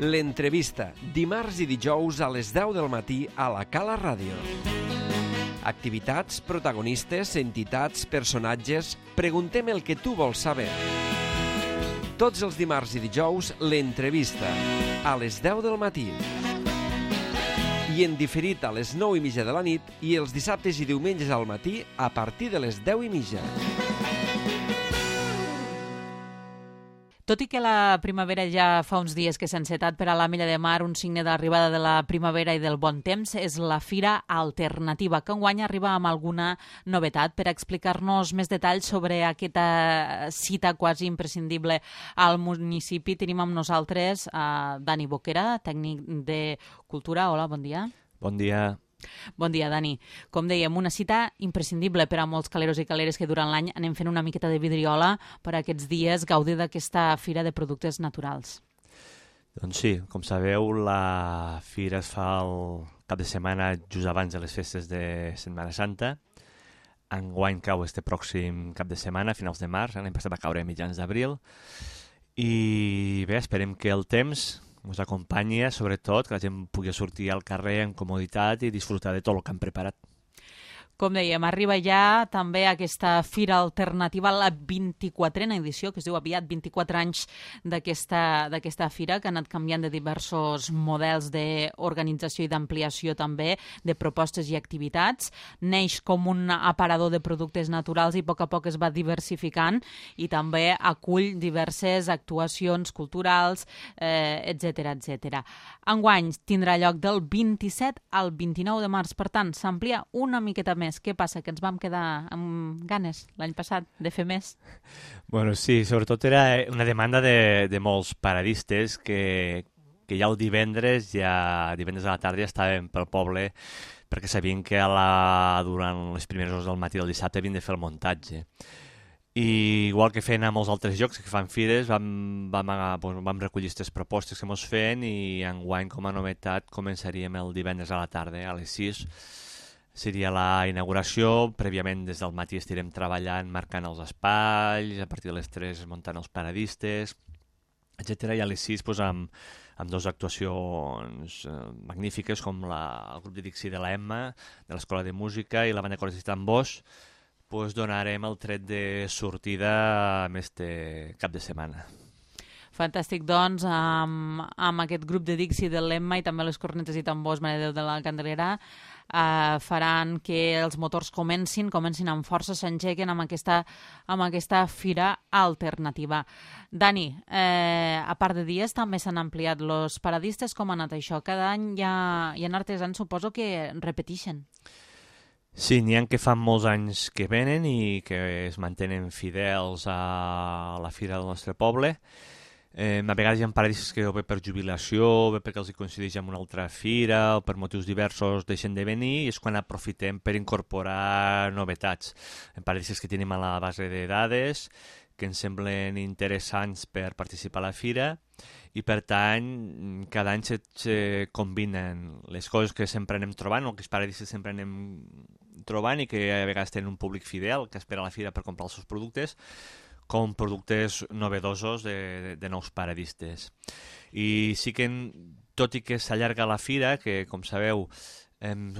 L'entrevista, dimarts i dijous a les 10 del matí a la Cala Ràdio. Activitats, protagonistes, entitats, personatges... Preguntem el que tu vols saber. Tots els dimarts i dijous, l'entrevista, a les 10 del matí. I en diferit a les 9:30 de la nit i els dissabtes i diumenges al matí a partir de les 10:30. Tot i que la primavera ja fa uns dies que s'ha encetat per a l'Ametlla de Mar, un signe d'arribada de la primavera i del bon temps és la Fira Alternativa, que enguany arriba amb alguna novetat. Per explicar-nos més detalls sobre aquesta cita quasi imprescindible al municipi, tenim amb nosaltres Dani Boquera, tècnic de Cultura. Hola, bon dia. Bon dia. Bon dia, Dani. Com dèiem, una cita imprescindible per a molts caleros i caleres que durant l'any anem fent una miqueta de vidriola per a aquests dies gaudir d'aquesta fira de productes naturals. Doncs sí, com sabeu, la fira es fa el cap de setmana just abans de les festes de Setmana Santa. Enguany cau este pròxim cap de setmana, a finals de març, l'any passat va caure a mitjans d'abril. I bé, esperem que el temps ens acompanya, sobretot, que la gent pugui sortir al carrer en comoditat i disfrutar de tot el que han preparat. Com dèiem, arriba ja també aquesta Fira Alternativa, la 24a edició, que es diu aviat 24 anys d'aquesta fira, que ha anat canviant de diversos models d'organització i d'ampliació també, de propostes i activitats. Neix com un aparador de productes naturals i a poc es va diversificant i també acull diverses actuacions culturals, etc. Enguany tindrà lloc del 27 al 29 de març, per tant, s'amplia una miqueta més. Què passa? Que ens vam quedar amb ganes l'any passat de fer més? Bueno, sí, sobretot era una demanda de molts paradistes que ja el divendres a la tarda ja estaven pel poble perquè sabien que durant les primeres hores del matí del dissabte havien de fer el muntatge. I igual que feien a molts altres llocs que fan fires, vam recollir aquestes propostes que ens feien i enguany, com a novetat, començaríem el divendres a la tarda, a les 6. Seria la inauguració. Prèviament, des del matí estirem treballant, marcant els espais, a partir de les 3 muntant els paradistes, etc. I a les 6, amb dues actuacions magnífiques, com el grup de Dixi de la Emma, de l'Escola de Música, i la banda Cordes i Tambors, donarem el tret de sortida amb este cap de setmana. Fantàstic, doncs, amb aquest grup de Dixi de l'Emma i també les cornetes i tambors Mare de Déu de la Candelera faran que els motors comencin amb força, s'engequen amb aquesta fira alternativa. Dani, a part de dies també s'han ampliat els paradistes. Com ha anat això? Cada any hi ha artesans, suposo, que repeteixen. Sí, n'hi ha que fan molts anys que venen i que es mantenen fidels a la fira del nostre poble. A vegades hi ha paradistes que o bé per jubilació, o bé perquè els hi coincideix amb una altra fira, o per motius diversos deixen de venir, i és quan aprofitem per incorporar novetats. Paradistes que tenim a la base de dades, que ens semblen interessants per participar a la fira, i per tant cada any se combinen les coses que sempre anem trobant, o que els paradistes sempre anem trobant i que a vegades tenen un públic fidel que espera a la fira per comprar els seus productes, com productes novedosos de nous paradistes. I sí que, tot i que s'allarga la fira, que com sabeu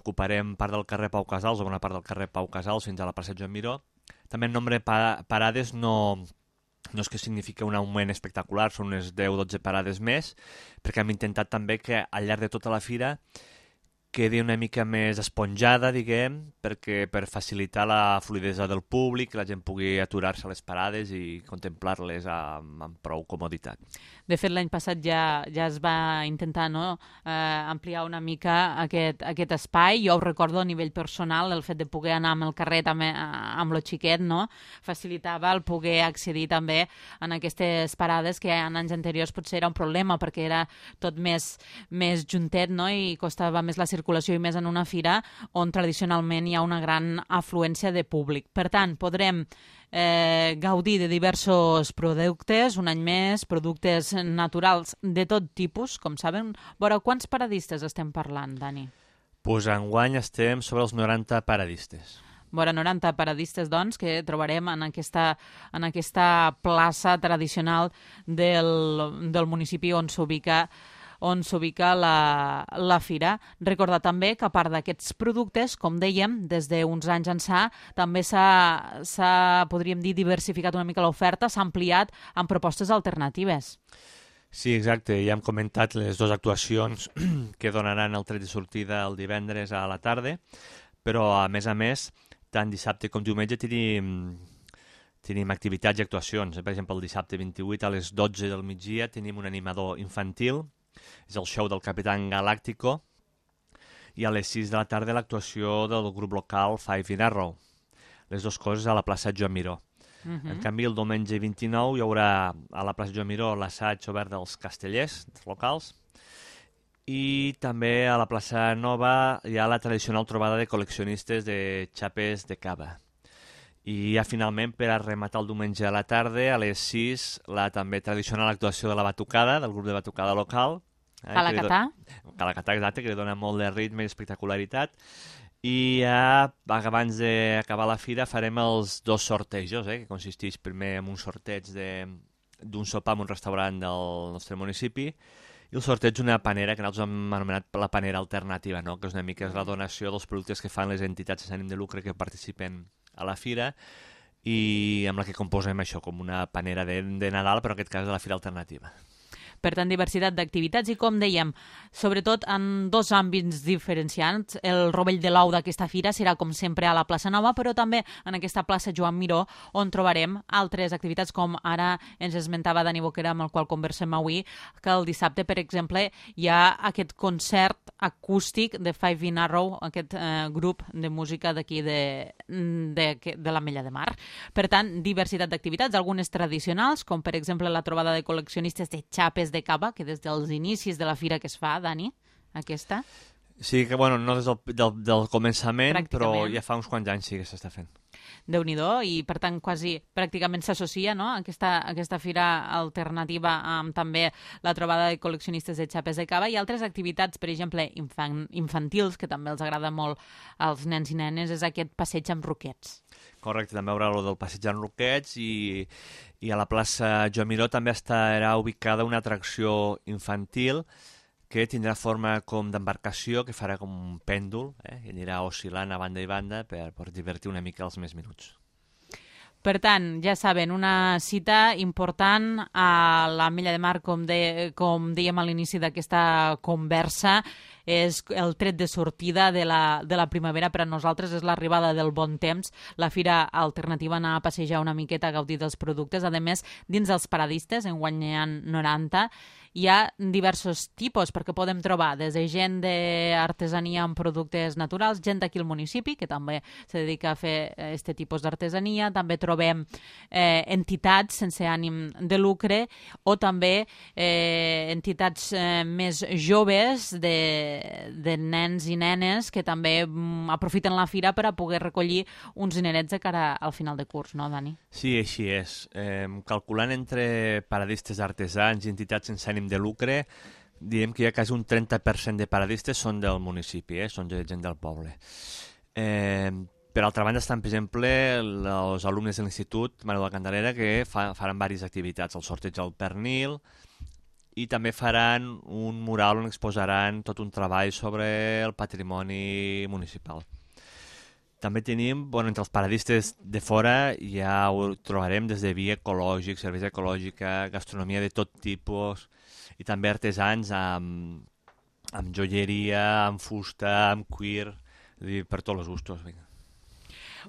ocuparem part del carrer Pau Casals o bona part del carrer Pau Casals fins a la plaça Joan Miró, també el nombre de parades no és que significa un augment espectacular, són unes 10-12 parades més, perquè hem intentat també que al llarg de tota la fira quedi una mica més esponjada, diguem, per facilitar la fluidesa del públic, que la gent pugui aturar-se a les parades i contemplar-les amb prou comoditat. De fet, l'any passat ja es va intentar ampliar una mica aquest espai. Jo ho recordo a nivell personal, el fet de poder anar amb el carrer també amb lo xiquet, facilitava el poder accedir també en aquestes parades que en anys anteriors potser era un problema perquè era tot més juntet, i costava més la circulació i més en una fira on tradicionalment hi ha una gran afluència de públic. Per tant, podrem gaudir de diversos productes, un any més, productes naturals de tot tipus, com saben. Veure, quants paradistes estem parlant, Dani? Enguany estem sobre els 90 paradistes. Vora 90 paradistes, doncs, que trobarem en aquesta plaça tradicional del municipi on s'ubica on s'ubica la fira. Recordar també que a part d'aquests productes, com dèiem, des d'uns anys ençà, també s'ha, podríem dir, diversificat una mica l'oferta, s'ha ampliat amb propostes alternatives. Sí, exacte. Ja hem comentat les dues actuacions que donaran el tret de sortida el divendres a la tarda, però a més, tant dissabte com diumenge tenim activitats i actuacions. Per exemple, el dissabte 28 a les 12 del migdia tenim un animador infantil, és el show del Capitán Galáctico, i a les 6 de la tarda l'actuació del grup local Five in Arrow. Les dues coses a la plaça Joan Miró. En canvi, el diumenge 29 hi haurà a la plaça Joan Miró l'assaig obert dels castellers locals, i també a la plaça Nova hi ha la tradicional trobada de col·leccionistes de xapes de cava. I ja finalment, per a rematar el diumenge a la tarda, a les 6, la també tradicional actuació de la batucada, del grup de batucada local. Calacatà. Calacatà, exacte, que li dona molt de ritme i espectacularitat. I ja, abans d'acabar la fira, farem els dos sortejos, que consisteix primer en un sorteig d'un sopar en un restaurant del nostre municipi, i el sorteig d'una panera, que nosaltres hem anomenat la panera alternativa, no? Que és una mica la donació dels productes que fan les entitats sense ànim de lucre que participen a la fira, i amb la que composem això, com una panera de Nadal, però en aquest cas de la fira alternativa. Per tant, diversitat d'activitats i, com dèiem, sobretot en dos àmbits diferenciats. El rovell de l'ou d'aquesta fira serà, com sempre, a la plaça Nova, però també en aquesta plaça Joan Miró, on trobarem altres activitats, com ara ens esmentava Dani Boquera, amb el qual conversem avui, que el dissabte, per exemple, hi ha aquest concert acústic de Five in Arrow, aquest grup de música d'aquí de l'Ametlla de Mar. Per tant, diversitat d'activitats, algunes tradicionals, com per exemple la trobada de col·leccionistes de xapes de cava, que des dels inicis de la fira que es fa, Dani, aquesta. Sí, que bueno, no des del començament, però ja fa uns quants anys sí que s'està fent. Déu-n'hi-do, i per tant quasi pràcticament s'associa, no?, aquesta fira alternativa amb també la trobada de col·leccionistes de xapes de cava i altres activitats, per exemple, infantils, que també els agrada molt als nens i nenes, és aquest passeig amb roquets. Correcte, també hi haurà el del passeig amb roquets, i a la plaça Joan Miró també estarà ubicada una atracció infantil que tindrà forma com d'embarcació, que farà com un pèndol, i anirà oscil·lant a banda i banda per divertir una mica els més minuts. Per tant, ja saben, una cita important a l'Ametlla de Mar, com dèiem a l'inici d'aquesta conversa, és el tret de sortida de la primavera. Per a nosaltres és l'arribada del bon temps, la fira alternativa, anar a passejar una miqueta, a gaudir dels productes. A més, dins dels paradistes, enguany n'hi ha 90, hi ha diversos tipus, perquè podem trobar des de gent d'artesania amb productes naturals, gent d'aquí al municipi, que també se dedica a fer aquest tipus d'artesania, també trobem entitats sense ànim de lucre, o també entitats més joves de nens i nenes que també aprofiten la fira per a poder recollir uns dinerets de cara al final de curs, no, Dani? Sí, així és. Calculant entre paradistes artesans i entitats sense ànim de lucre, diem que hi ha quasi un 30% de paradistes són del municipi, són gent del poble. Per altra banda estan, per exemple, els alumnes de l'Institut Manuel de la Candelera, que faran diverses activitats, el sorteig del pernil, i també faran un mural on exposaran tot un treball sobre el patrimoni municipal. També tenim, entre els paradistes de fora, ja ho trobarem des de vi ecològic, cervesa ecològica, gastronomia de tot tipus, i també artesans amb joieria, amb fusta, amb cuir, per tots els gustos.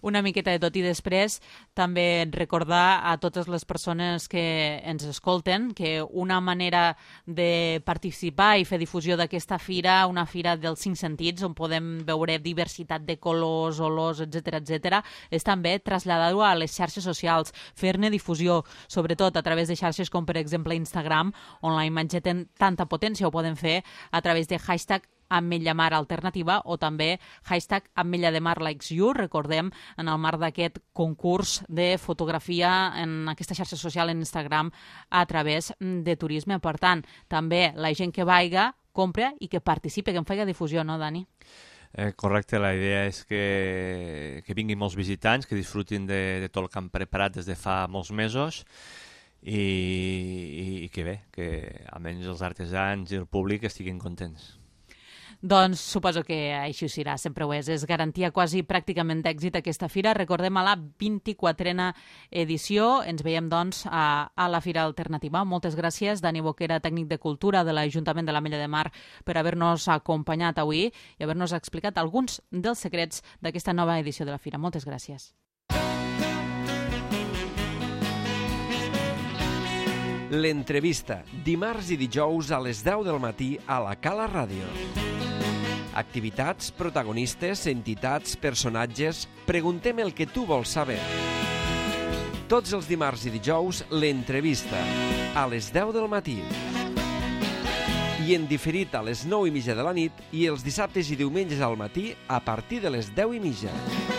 Una miqueta de tot, i després també recordar a totes les persones que ens escolten que una manera de participar i fer difusió d'aquesta fira, una fira dels 5 sentits, on podem veure diversitat de colors, olors, etc., és també traslladar-ho a les xarxes socials, fer-ne difusió, sobretot a través de xarxes com, per exemple, Instagram, on la imatge té tanta potència. Ho poden fer a través de hashtag Ametlla Mar Alternativa o també hashtag Ametlla de Mar Likes You. Recordem, en el marc d'aquest concurs de fotografia en aquesta xarxa social en Instagram a través de turisme. Per tant, també la gent que vaiga, compra i que participi, que en faci difusió, no, Dani? Correcte, la idea és que vinguin molts visitants, que disfrutin de tot el que han preparat des de fa molts mesos, i que bé, que almenys els artesans i el públic estiguin contents. Doncs suposo que així serà, sempre ho és. És garantia quasi pràcticament d'èxit aquesta fira. Recordem a la 24a edició. Ens veiem, doncs, a la Fira Alternativa. Moltes gràcies, Dani Boquera, tècnic de Cultura de l'Ajuntament de l'Ametlla de Mar, per haver-nos acompanyat avui i haver-nos explicat alguns dels secrets d'aquesta nova edició de la fira. Moltes gràcies. L'entrevista, dimarts i dijous a les 10 del matí a la Cala Ràdio. Activitats, protagonistes, entitats, personatges... Preguntem el que tu vols saber. Tots els dimarts i dijous, l'entrevista, a les 10 del matí. I en diferit a les 9:30 de la nit i els dissabtes i diumenges al matí a partir de les 10:30.